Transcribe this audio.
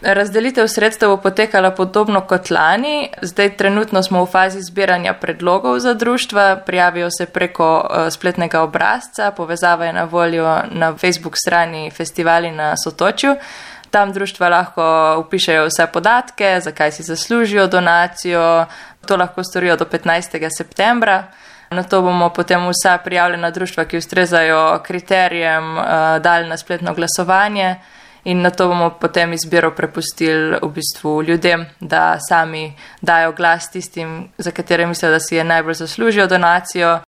Razdelitev sredstev bo potekala podobno kot lani. Zdaj trenutno smo v fazi zbiranja predlogov za društva, prijavijo se preko spletnega obrazca, povezava je na voljo na Facebook strani Festivali na Sotočju. Tam društva lahko vpišejo vse podatke, zakaj si zaslužijo donacijo, to lahko storijo do 15. septembra. Na to bomo potem vsa prijavljena društva, ki ustrezajo kriterijem, dali na spletno glasovanje. In na to bomo potem izbiro prepustili v bistvu ljudem, da sami dajo glas tistim, za katere mislijo, da si je najbolj zaslužijo donacijo.